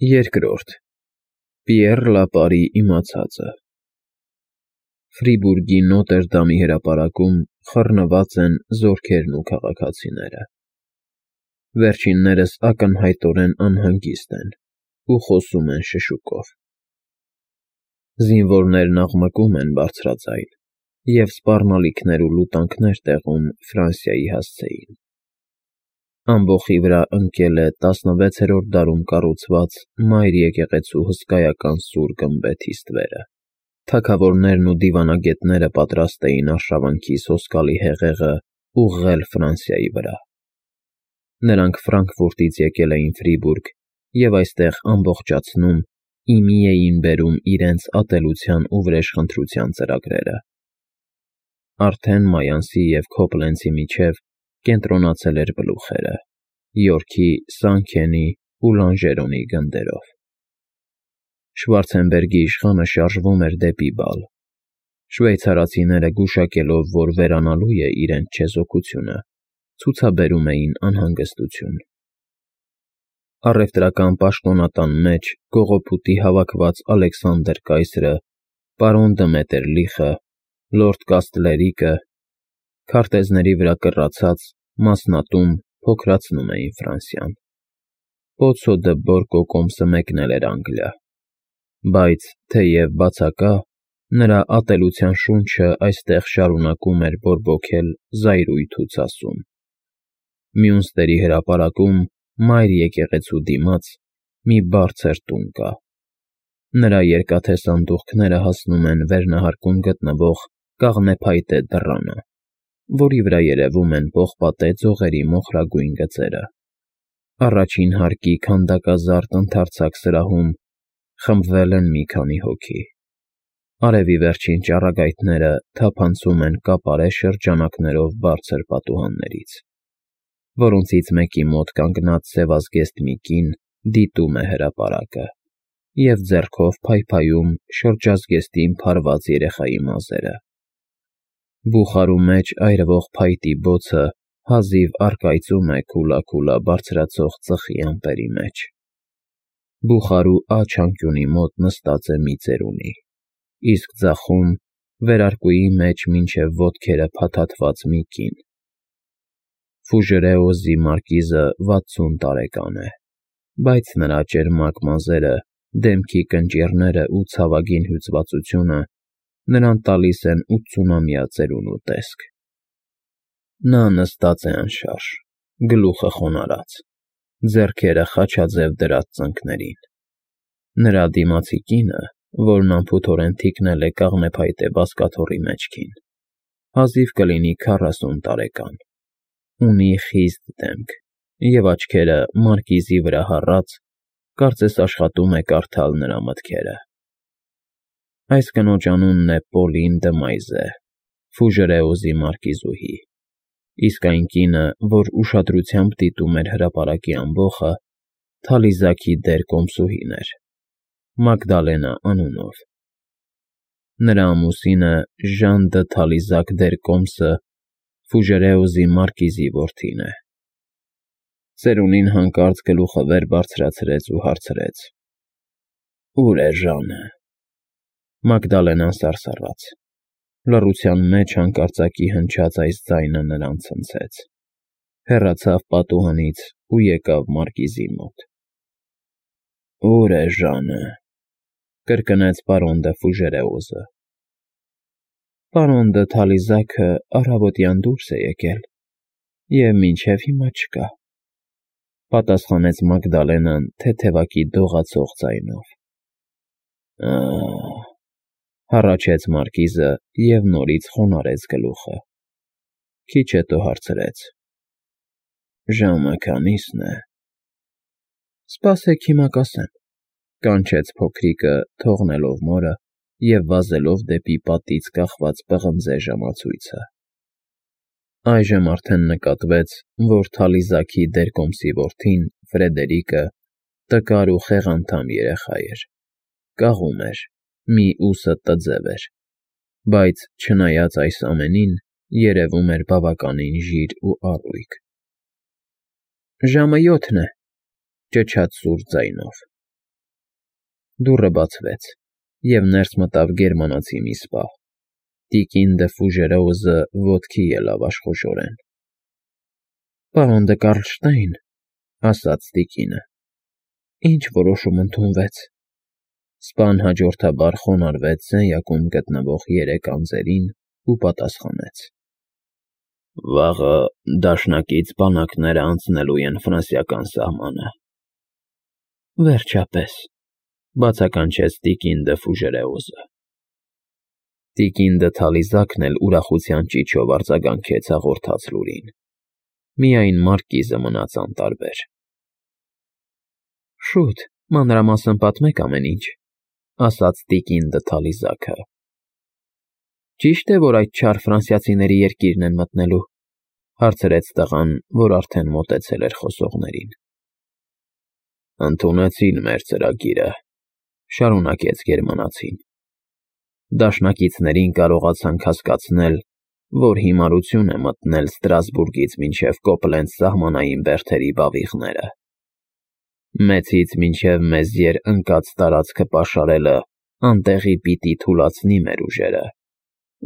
Երկրորդ Պիեռ Լապարի իմացածը Ֆրիբուրգի Նոտր հրապարակում խռնված են զորքերն ու քաղաքացիները։ Վերջիններս ակնհայտորեն անհանգիստ են ու խոսում են շշուկով։ Զինվորներն աղմկում են բարձրաձայն և սպառնալիքներ ու լուտանքներ տեղում Ֆրանսիայի հասցեին։ Ամբոխի վրա ընկել է 16-րդ դարում կառուցված Մայր եկեղեցու հսկայական սուր գմբեթի ստվերը։ Թագավորներն ու դիվանագետները պատրաստ էին արշավանքի սոսկալի հեղեղը ուղղել Ֆրանսիայի վրա։ Նրանք Ֆրանկֆուրտից եկել էին Ֆրիբուրգ և այստեղ ամբողջացնում, ի մի էին բերում իրենց ատելության ու վրեժխնդրության ծրագրերը։ Արդեն Մայանսի և Քոբլենցի միջև կենտրոնացել էր բլուխերը՝ Յորքի, Սանքենի ու Լանժերոնի գնդերով։ Շվարցենբերգի իշխանը շարժվում էր դեպի Բալ, շվեյցարացիները գուշակելով, որ վերանալու է իրենց չեզոքությունը, ցուցաբերում էին անհանգստություն։ Առևտրական պաշտոնատան մեջ կողոպուտի հավաքված Ալեքսանդր կայսրը, պարոն դը Մետերլիխը, լորդ Կաստլերիկը, քարտեզների վրա կռացած, մասնատում փոքրացնում էին Ֆրանսիան։ Պոցո դը Բորկո կոմսը մեկնել էր Անգլիա, բայց, թեև բացակա, նրա ատելության շունչը այստեղ շարունակում էր բորբոքել զայրույթ ու ցասում։ Մյունստերի հրապարակում Մայր եկեղեցու դիմաց մի բարձր տուն կա։ Նրա երկաթե սանդուղքները հասնում են վերնահարկում գտնվող կաղնեփայտե դռանը, որի վրա երևում են պողպատե ձողերի մոխրագույն գծերը։ Առաջին հարկի քանդակազարդ ընդարձակ սրահում խմբվել են մի քանի հոգի։ Արևի վերջին ճառագայթները թափանցում են կապարե շրջանակներով բարձր պատուհաններից, որոնցից մեկի մոտ կանգնած սևազգեստ մի կին դիտում է հրապարակը և ձեռքով փայփայում շրջազգեստին փարված երեխայի մազերը։ Բուխարու մեջ այրվող փայտի բոցը հազիվ առկայծում է քուլա բարձրացող ծխի ամպերի մեջ։ Բուխարու աջ անկյունի մոտ նստած է մի ծերունի, իսկ ձախում, վերարկուի մեջ մինչև ոտքերը փաթաթված մի կին։ Ֆուժերեոզի մարկիզը 60 տարեկան է, բայց նրա ճերմակ մազերը, դեմքի կնճիռները ու ցավագին հյուծվածությունը նրան տալիս են 80-ամյա ծերունու տեսք։ Նա նստած է անշարժ, գլուխը խոնարհած, ձեռքերը խաչաձև դրած ծնկներին։ Նրա դիմացի կինը, որն անփութորեն թիկնել է կաղնեփայտե բազկաթոռի մեջքին, հազիվ կլինի 40 տարեկան, ունի խիստ դեմք և աչքերը մարկիզի վրա հառած, կարծես աշխատում է կարդալ նրա մտքերը։ Այս կնոջ անունն է Պոլին դը Մայզե, Ֆուժերեոզի մարկիզուհի, իսկ այն կինը, որ ուշադրությամբ դիտում էր հրապարակի ամբոխը, Թալիզաքի դեր կոմսուհին էր, Մագդալենա անունով։ Նրա ամուսինը Ժան դը Թալիզակ դեր կոմսը Ֆուժերեոզի մարկիզի որդին է։ Ծերունին հանկարծ գլուխը վեր բարձրացրեց ու հարցրեց. «Ո՞ւր է Ժանը»։ Մագդալենան սարսռաց։ Լռության մեջ հանկարծակի հնչած այս ձայնը նրան ցնցեց։ Հեռացավ պատուհանից ու եկավ մարկիզի մոտ։ «Ո՞ւր է Ժանը», կրկնեց պարոն դը Ֆուժերեոզը։ «Պարոն դը Թալիզաքը առավոտյան դուրս է եկել և մինչև հիմա չկա», պատասխանեց Մագդալենան թեթևակի դողացող ձայնով։ «Ա՜», հառաչեց մարկիզը և նորից խոնարհեց գլուխը։ Քիչ հետո հարցրեց. «Ժամը քանի՞սն է»։ «Սպասեք, հիմա կասեմ», կանչեց փոքրիկը, թողնելով մորը և վազելով դեպի պատից կախված պղնձե ժամացույցը։ Այժմ արդեն նկատվեց, որ Թալիզաքի դեր կոմսի որդին, Ֆրեդերիկը, տկար ու խեղանդամ երեխա էր, կաղում էր, մի ուսը տձև էր, բայց, չնայած այս ամենին, երևում էր բավականին ժիր ու առույգ։ «Ժամը 7-ն է», ճչաց սուր ձայնով։ դուռը բացվեց, և ներս մտավ գերմանացի մի սպա։ Տիկին դը Ֆուժերոուզը ոտքի ելավ աշխուժորեն։ «Պարոն դը Կարլշտեյն», ասաց տիկինը, «ինչ որոշում ընդունվեց»։ Սպան հաջորդաբար խոնարհվեց սենյակում գտնվող 3 անձերին ու պատասխանեց. «Վաղը դաշնակից բանակները անցնելու են ֆրանսիական սահմանը»։ «Վերջապես», բացականչեց տիկին դը Ֆուժերոուզը։ Տիկին դը Թալիզակն էլ ուրախության ճիչով արձագանքեց հաղորդած լուրին։ Միայն մարկիզը մնաց անտարբեր։ «Շուտ, մանրամասն պատմեք ամեն ինչ», ասաց տիկին դը Թալիզակը։ «Ճիշտ է, որ այդ չար ֆրանսիացիների երկիրն են մտնելու», հարցրեց տղան, որ արդեն մոտեցել էր խոսողներին։ «Ընդունեցին մեր ծրագիրը», շարունակեց գերմանացին։ «Դաշնակիցներին կարողացանք հասկացնել, որ հիմարություն է մտնել Ստրասբուրգից մինչև Կոպլենց սահմանային բերդերի բավիղները։ Մեծից մինչև Մեզիեր ընկած տարածքը պաշարելը անտեղի պիտի թուլացնի մեր ուժերը,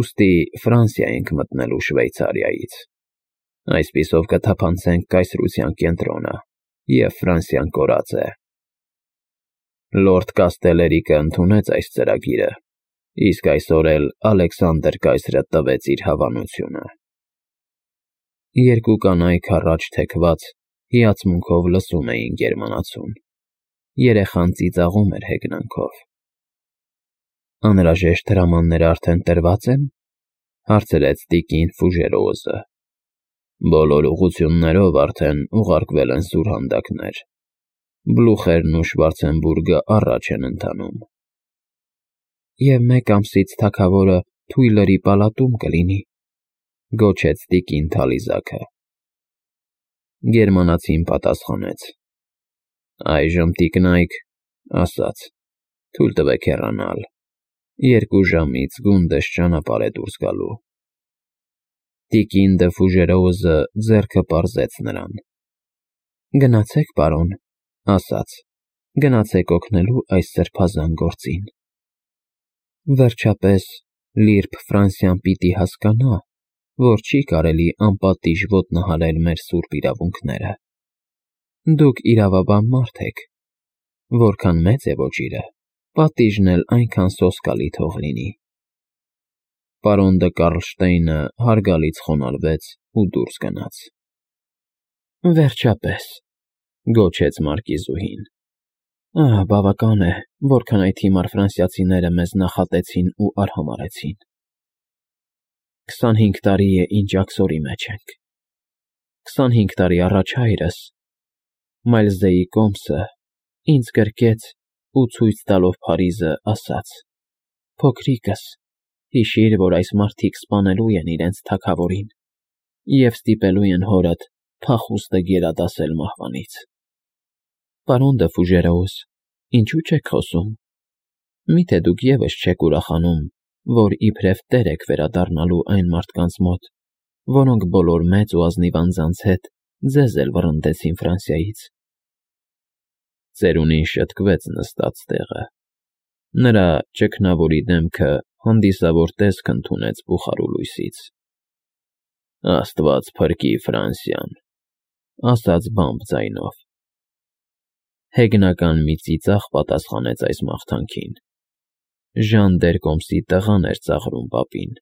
ուստի Ֆրանսիա ենք մտնելու Շվեյցարիայից։ Այսպիսով կթափանցենք կայսրության կենտրոնը, և Ֆրանսիան կորած է։ Լորդ Կաստելերիկը ընդունեց այս ծրագիրը, իսկ այսօր էլ Ալեքսանդր կայսրը տվեց իր հավանությունը»։ Երկու կանայք առաջ թեքված հիացմունքով լսում էին գերմանացուն։ Երեխան ծիծաղում էր հեգնանքով։ «Անհրաժեշտ հրամանները արդեն տրված են», հարցրեց տիկին Ֆուժերոուզը։ «Բոլոր ուղղություններով արդեն ուղարկվել են սուրհանդակներ։ Բլուխերն ու Շվարցենբուրգը առաջ են ընթանում»։ «Եվ մեկ ամսից թագավորը Թույլերի պալատում կլինի», գոչեց տիկին Թալիզակը։ Գերմանացին պատասխանեց. «Այժմ տիկնայք, ասաց, թույլ տվեք հեռանալ։ 2 ժամից գունդս ճանապարհ է դուրս գալու»։ Տիկին դը Ֆուժերոուզը ձեռքը պարզեց նրան։ «Գնացեք, պարոն», ասաց, «գնացեք օգնելու այս սրբազան գործին։ Վերջապես Լիրբ Ֆրանսիան պիտի հասկանա, որ չի կարելի անպատիժ ոտնահարել մեր սուրբ իրավունքները։ Դուք իրավաբան մարդ եք, որքան մեծ է ոճիրը, պատիժն էլ այնքան սոսկալի թող լինի»։ Պարոն դը Կարլշտեյնը հարգալից խոնարհվեց ու դուրս գնաց։ «Վերջապես», գոչեց մարկիզուհին։ «Բավական է, որքան այդ հիմար ֆրանսիացիները մեզ նախատեցին ու արհամարհեցին։ 25 տարի է, ինչ աքսորի մեջ ենք։ 25 տարի առաջ հայրս, Մայլզեի կոմսը, ինձ գրկեց ու ցույց տալով Փարիզը ասաց. «Փոքրիկս, հիշիր, որ այս մարդիկ սպանելու են իրենց թագավորին և ստիպելու են հորդ փախուստը գերադասել մահվանից»։ Պարոն դը Ֆուժերոուզ, ինչու չեք խոսում։ Միթե դուք ևս չեք ուրախանում, որ իբրև տեր եք վերադառնալու այն մարդկանց մոտ, որոնք բոլոր մեծ ու ազնիվ անձանց հետ ձեզ էլ վռնդեցին Ֆրանսիայից։ Ծերունին շտկվեց նստած տեղը։ Նրա ճգնավորի դեմքը հանդիսավոր տեսք ընդունեց բուխարու լույսից։ «Աստված փրկի Ֆրանսիան», ասաց բամբ ձայնով։ Հեգնական մի ծիծաղ պատասխանեց այս մաղթանքին։ Ժան դ'Երկոմսի տղան էր ծաղրում պապին։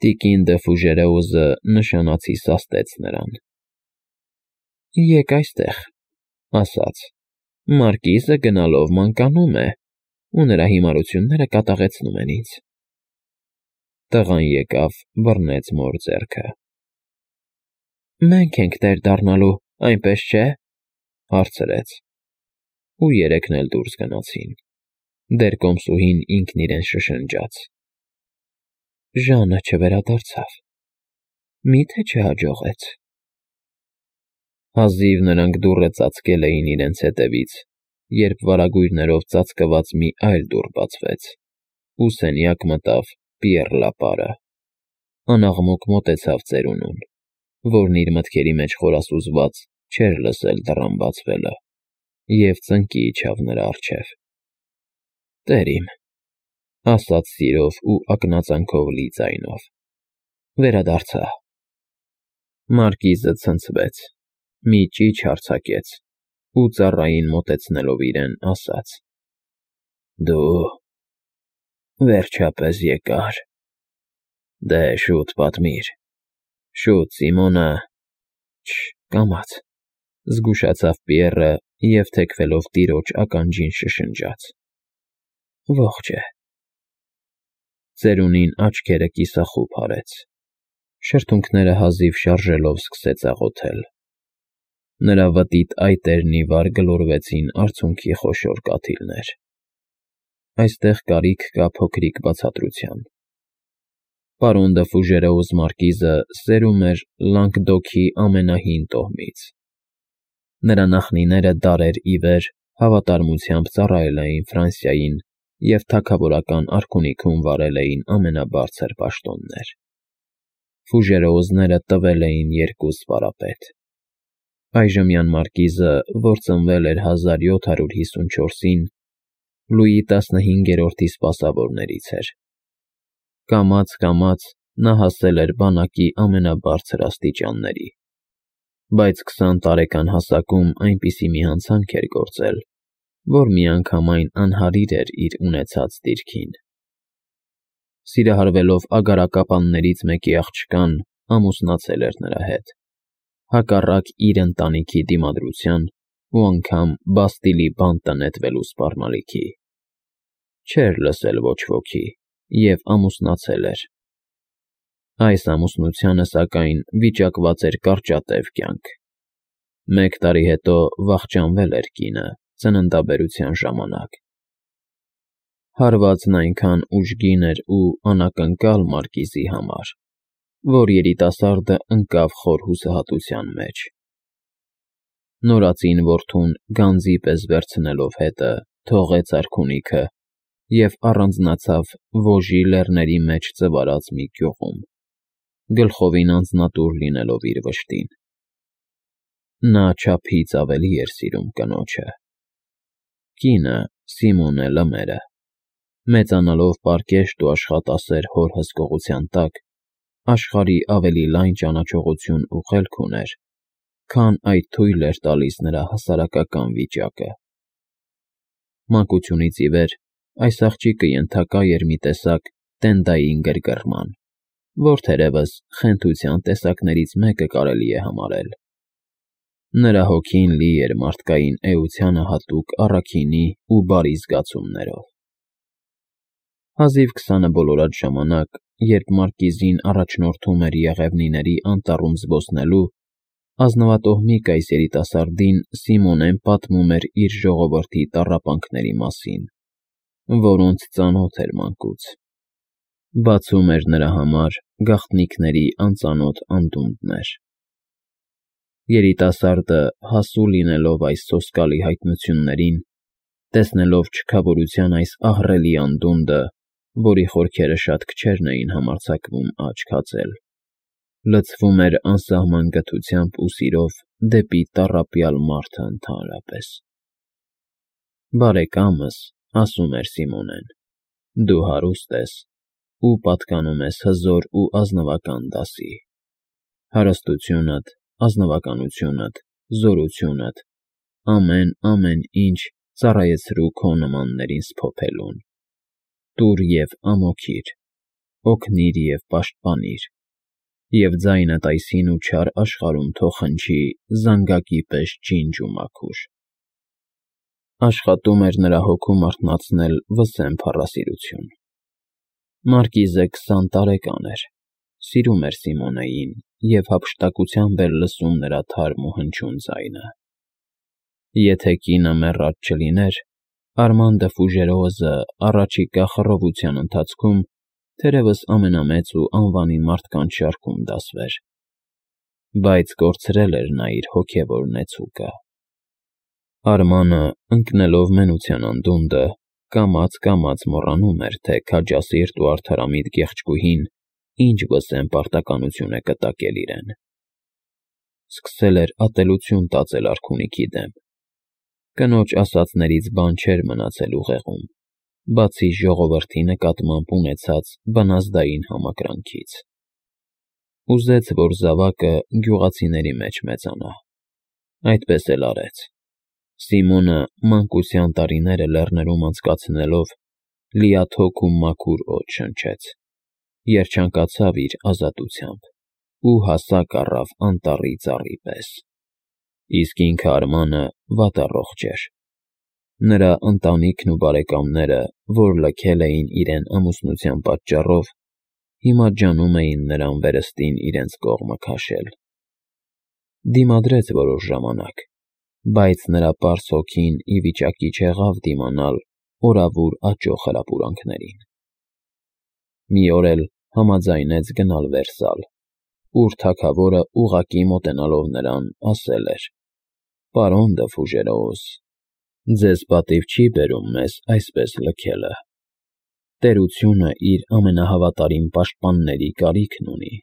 Տիկին դը Ֆուժերոուզը նշանացի սաստեց նրան։ «Եկ այստեղ», ասաց, «մարկիզը գնալով մանկանում է, ու նրա հիմարությունները կատաղեցնում են ինձ»։ Տղան եկավ, բռնեց մոր ձեռքը։ «Մենք ենք տեր դառնալու, այնպես չէ՞, հարցրեց։ Ու երեքն էլ դուրս գնացին։ Դերկոմսուհին ինքն իրեն շշնջաց. «Ժանը չվերադարձավ, մի՞թե չհաջողեց»։ Հազիվ նրանք դուռը ծածկել էին իրենց հետևից, երբ վարագույրներով ծածկված մի այլ դուռ բացվեց, ու սենյակ մտավ Պիեռ Լապարը։ Անաղմուկ մոտեցավ ծերունուն, որն իր մտքերի մեջ խորասուզված չէր լսել դռան բացվելը։ և ծնկի իջավ նրա առջև։ «Տեր իմ», ասաց սիրով ու ակնածանքով լի ձայնով, վերադարձա։ Մարկիզը ցնցվեց, մի ճիչ արձակեց ու ծառային մոտեցնելով իրեն, ասաց. «Դու վերջապես եկար։ Դե շուտ պատմիր, շուտ Սիմոնը…» Կամաց, զգուշացավ Պիեռը և թեքվելով տիրոջ ականջին շշնջաց. «Ողջ է»։ Ծերունին աչքերը կիսախուբ արեց, շրթունքները հազիվ շարժելով սկսեց աղոթել։ Նրա վտիտ այտերն ի վար գլորվեցին արցունքի խոշոր կաթիլներ։ Այստեղ կարիք կա փոքրիկ բացատրության։ Պարոն դը Ֆուժերոուս մարկիզը սերում էր Լանգդոքի ամենահին տոհմից։ Նրա նախնիները դարեր ի վեր հավատարմությամբ ծառայել էին Ֆրանսիային և թագավորական արքունիքում վարել էին ամենաբարձր պաշտոններ։ Ֆուժերոուզները տվել էին երկու սպարապետ։ Այժմյան մարկիզը, որ ծնվել էր 1754-ին, Լուի 15-րդի սպասավորներից էր։ Կամաց նա հասել էր բանակի ամենաբարձր աստիճանների, բայց 20 տարեկան հասակում այնպիսի մի հանցանք էր գործել, որ միանգամայն անհարիր էր իր ունեցած դիրքին։ Սիրահարվելով ագարակապաններից մեկի աղջկան, ամուսնացել էր նրա հետ, հակառակ իր ընտանիքի դիմադրության ու անգամ Բաստիլի բանտը նետվելու սպառնալիքի։ Չէր լսել ոչ ոքի և ամուսնացել էր։ Այս ամուսնությանը, սակայն, վիճակված էր կարճատև կյանք։ 1 տարի հետո վախճանվել էր կինը ծննդաբերության ժամանակ։ Հարվածն այնքան ուժգին էր ու անակնկալ մարկիզի համար, որ երիտասարդը ընկավ խոր հուսահատության մեջ։ Նորածին որդուն գանձի պես վերցնելով հետը, թողեց արքունիքը և առանձնացավ Վոժի լեռների մեջ ձվարած մի գյուղում, գլխովին անձնատուր լինելով իր վշտին։ Նա չափից ավելի էր սիրում կնոջը։ Կինը՝ Սիմոնե Լմերը, մեծանալով պարկեշտ ու աշխատասեր հոր հսկողության տակ, աշխարհի ավելի լայն ճանաչողություն ու խելք ուներ, քան այդ թույլ էր տալիս նրա հասարակական վիճակը։ Մանկությունից ի վեր այս աղջիկը ենթակա էր մի տեսակ տենդային գրգռման, որ թերևս խենթության տեսակներից մեկը կարելի է համարել։ Նրա հոգին լի էր մարդկային էությանը հատուկ առաքինի ու բարի զգացումներով։ Հազիվ 20-ը բոլորած ժամանակ, երբ մարկիզին առաջնորդում էր Եղևնիների անտառում զբոսնելու, ազնվատոհմիկ այս երիտասարդին Սիմոնեն պատմում էր իր ժողովրդի տառապանքների մասին, որոնց ծանոթ էր մանկուց։ Բացում էր նրա համար գաղտնիքների անծանոթ անդունդներ։ Երիտասարդը, հասու լինելով այս սոսկալի հայտնություններին, տեսնելով չքավորության այս ահռելի անդունդը, որի խորքերը շատ քչերն էին համարձակվում աչք հածել, լցվում էր անսահման գթությամբ ու սիրով դեպի տառապյալ մարդը ընդհանրապես։ «Բարեկամս», ասում էր Սիմոնեն, «դու հարուստ ես ու պատկանում ես հզոր ու ազնվական դասի։ Հարստությունդ, ազնվականությունդ, զորությունդ, ամեն ինչ ծառայեցրու քո նմաններին սփոփելուն։ Տուր և ամոքիր, օգնիր և պաշտպանիր, և ձայնդ այս հին ու չար աշխարհում թող հնչի զանգակի պես ջինջ ու մաքուր»։ Աշխատում էր նրա հոգում արթնացնել վսեմ փառասիրություն։ Մարկիզը 20 տարեկան էր, սիրում էր Սիմոնեին և հափշտակությամբ էր լսում նրա թարմ ու հնչյուն ձայնը։ Եթե կինը մեռած չլիներ, Արման դը Ֆուժերոուզը առաջիկա խռովության ընթացքում թերևս ամենամեծ ու անվանի մարդկանց շարքում դասվեր։ Բայց կորցրել էր նա իր հոգևոր նեցուկը։ Արմանը, ընկնելով մենության անդունդը, կամաց մոռանում էր, թե քաջասիրտ ու արդարամիտ գեղեցկուհին ինչ վսեմ պարտականություն է կտակել իրեն։ Սկսել էր ատելություն տածել արքունիքի դեմ։ Կնոջ ասածներից բան չէր մնացել ուղեղում, բացի ժողովրդի նկատմամբ ունեցած բնազդային համակրանքից։ Ուզեց, որ զավակը գյուղացիների մեջ մեծանա։ Այդպես էլ արեց։ Սիմոնը մանկության տարիները լեռներում անցկացնելով լիաթոք ու մաքուր օդ շնչեց, երջանկացավ իր ազատությամբ ու հասակ առավ անտառի ծառի պես։ Իսկ ինքը Արմանը վատառողջ էր։ Նրա ընտանիքն ու բարեկամները, որ լքել էին իրեն ամուսնության պատճառով, հիմա ջանում էին նրան վերստին իրենց կողմը քաշել։ Դիմադրեց որոշ ժամանակ, բայց նրա պարզ հոգին ի վիճակի չեղավ դիմանալ օրավուր աճող հրապուրանքներին։ Մի օր էլ համաձայնեց գնալ Վերսալ, ուր թագավորը ուղղակի մոտենալով նրան ասել էր. «Պարոն դը Ֆուժերոս, ձեզ պատիվ չի բերում մեզ այսպես լքելը։ Տերությունը իր ամենահավատարիմ պաշտպանների կարիքն ունի»։